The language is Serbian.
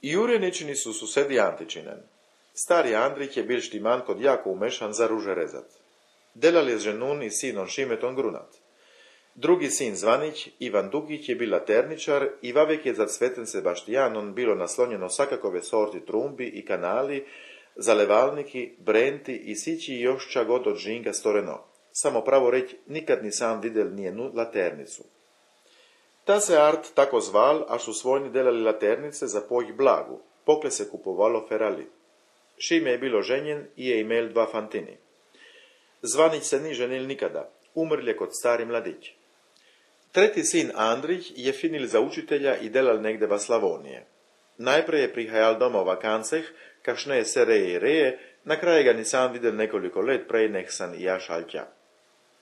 Jurjeničini su susedi Antičinen. Stari Andrich je bil Štimankod jako umešan za ruže rezat. Delal je ženun i sinom Šimeton grunat. Drugi sin Zvanić, Ivan Dugić, je bil laterničar i vavek je za Cveten Sebaštijanon bilo naslonjeno sakakove sorti trumbi i kanali, zalevalniki, brenti i sići još ča god od žinga storeno. Samo pravo reći, nikad ni sam vidjel nijenu laternicu. Ta se art tako zval, a su svojni delali laternice za pojih blagu, pokle se kupovalo ferali. Šime je bilo ženjen i je imel dva fantini. Zvanić se ni ženil nikada, umrl je kod stari mladić. Treti sin Andrich je finil za učitelja i delal negde va Slavonije. Najprej je prihajal doma u vakanceh, kašne je se reje i reje, na kraju ga ni sam videl nekoliko let prej nek san i ja šal tja.